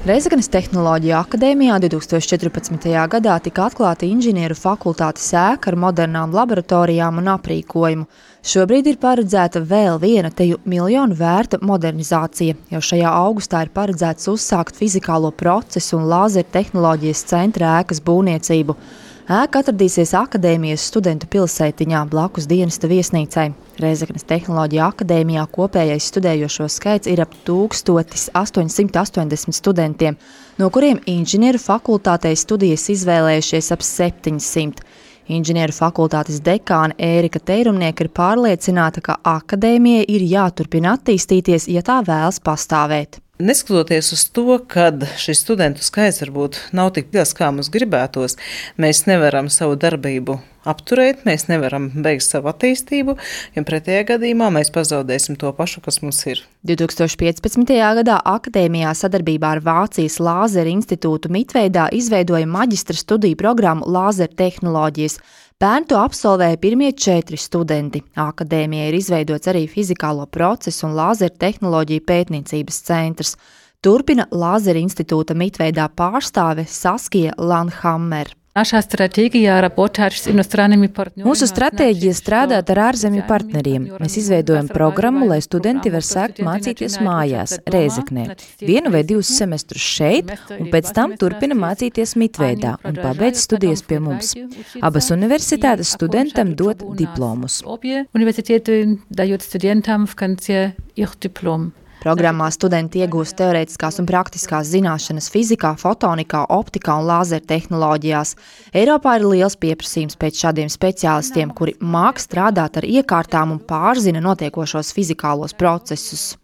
Reizeknes Tehnoloģiju akadēmijā 2014. gadā tika atklāta inženieru fakultātes ēka ar modernām laboratorijām un aprīkojumu. Šobrīd ir paredzēta vēl viena teju miljonu vērta modernizācija. Jau šajā augustā ir paredzēts uzsākt fizikālo procesu un lāzertehnoloģijas centra ēkas būvniecību. Ēka atradīsies akadēmijas studentu pilsētiņā blakus dienesta viesnīcai. Reizeknes Tehnoloģiju akadēmijā kopējais studējošo skaits ir ap 1880 studentiem, no kuriem inženieru fakultātei studijas izvēlējušies ap 700. Inženieru fakultātes dekāne Ērika Teirumnieka ir pārliecināta, ka akadēmijai ir jāturpina attīstīties, ja tā vēlas pastāvēt. Neskatoties uz to, ka šis studentu skaits varbūt nav tik liels, kā mums gribētos, mēs nevaram savu darbību apturēt, mēs nevaram beigt savu attīstību, jo pretējā gadījumā mēs pazaudēsim to pašu, kas mums ir. 2015. gadā akadēmijā sadarbībā ar Vācijas Lāzera institūtu Mitveidā izveidoja maģistra studiju programmu Lāzertehnoloģijas. Pērn to absolvēja pirmie 4 studenti. Akadēmijai ir izveidots arī fizikālo procesu un lāzertehnoloģiju pētniecības centrs. Turpina Lāzera institūta Mitveidā pārstāve Saskija Lanhammer. Mūsu stratēģija strādāt ar ārzemju partneriem. Mēs izveidojam programmu, lai studenti var sākt mācīties mājās, Reizeknē, 1 vai 2 semestrus šeit, un pēc tam turpina mācīties Mitveidā un pabeidz studijas pie mums. Abas universitātes studentam dod diplomus. Programmā studenti iegūst teorētiskās un praktiskās zināšanas fizikā, fotonikā, optikā un lāzertehnoloģijās. Eiropā ir liels pieprasījums pēc šādiem speciālistiem, kuri māk strādāt ar iekārtām un pārzina notiekošos fizikālos procesus.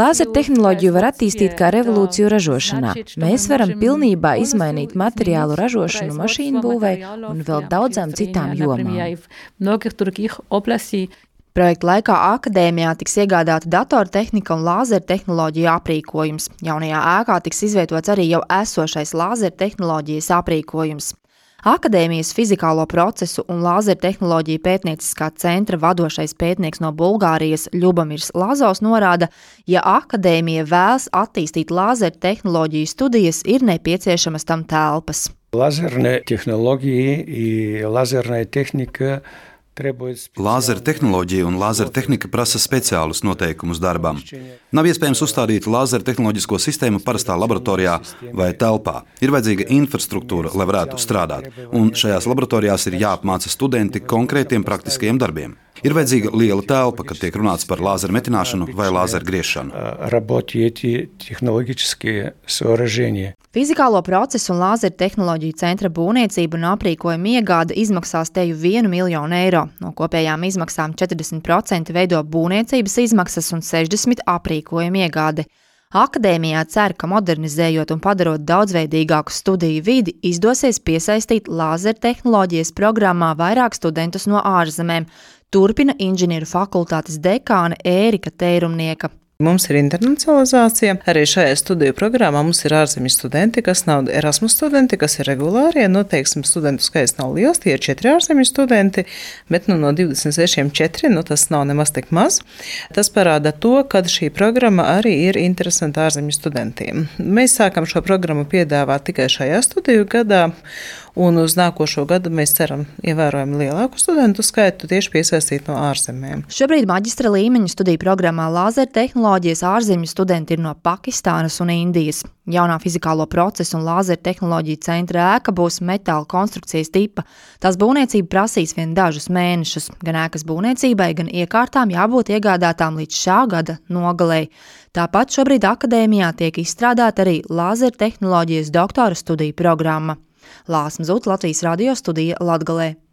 Lāzertehnoloģiju var attīstīt kā revolūciju ražošanā. Mēs varam pilnībā izmainīt materiālu ražošanu mašīnu būvei un vēl daudzām citām jomām. Projekta laikā akadēmijā tiks iegādāta datortehnika un lāzertehnoloģija aprīkojums. Jaunajā ēkā tiks izvietots arī jau esošais lāzertehnoloģijas aprīkojums. Akadēmijas fizikālo procesu un lāzertehnoloģiju pētnieciskā centra vadošais pētnieks no Bulgārijas Ļubamirs Lazovs norāda, ja akadēmija vēlas attīstīt lāzertehnoloģiju studijas, ir nepieciešamas tam telpas. Lāzerne tehnoloģija un lāzerne tehnika Lāzertehnoloģija un lāzertehnika prasa speciālus noteikumus darbam. Nav iespējams uzstādīt lāzertehnoloģisko sistēmu parastā laboratorijā vai telpā. Ir vajadzīga infrastruktūra, lai varētu strādāt, un šajās laboratorijās ir jāapmāca studenti konkrētiem praktiskajiem darbiem. Ir vajadzīga liela telpa, kad tiek runāts par lāzeru metināšanu vai lāzeru griešanu. Fizikālo procesu un lāzertehnoloģiju centra būvniecība un aprīkojuma iegāde izmaksās teju 1 miljonu eiro. No kopējām izmaksām 40% veido būvniecības izmaksas un 60% aprīkojuma iegāde. Akadēmijā cer, ka modernizējot un padarot daudzveidīgāku studiju vidi, izdosies piesaistīt lāzertehnoloģijas programmā vairāk studentus no ārzemēm. Turpina inženieru fakultātes dekāne Ērika Teirumnieka. Mums ir internacionalizācija. Arī šajā studiju programmā mums ir ārzemju studenti, kas nav Erasmus studenti, kas ir regulārie. Teiksim, studentu skaits nav liels, tie ir 4 ārzemju studenti, bet no 26 4, tas nav nemaz tik maz. Tas parāda to, ka šī programma arī ir interesanta ārzemju studentiem. Mēs sākam šo programmu piedāvāt tikai šajā studiju gadā, un uz nākošo gadu mēs ceram ievērojami lielāku studentu skaitu tieši piesaistīt no ārzemēm. Šobrīd maģistra līmeņa studiju programmā lāzertehnoloģijas ārzemju studenti ir no Pakistānas un Indijas. Jaunā fizikālo procesu un lāzertehnoloģiju centra ēka būs metāla konstrukcijas tipa. Tās būvniecība prasīs vien dažus mēnešus. Gan ēkas būvniecībai, gan iekārtām jābūt iegādātām līdz šā gada nogalei. Tāpat šobrīd akadēmijā tiek izstrādāta arī lāzertehnoloģijas doktora studiju programma. Lāsma Zut, Latvijas radio studija Latgalē.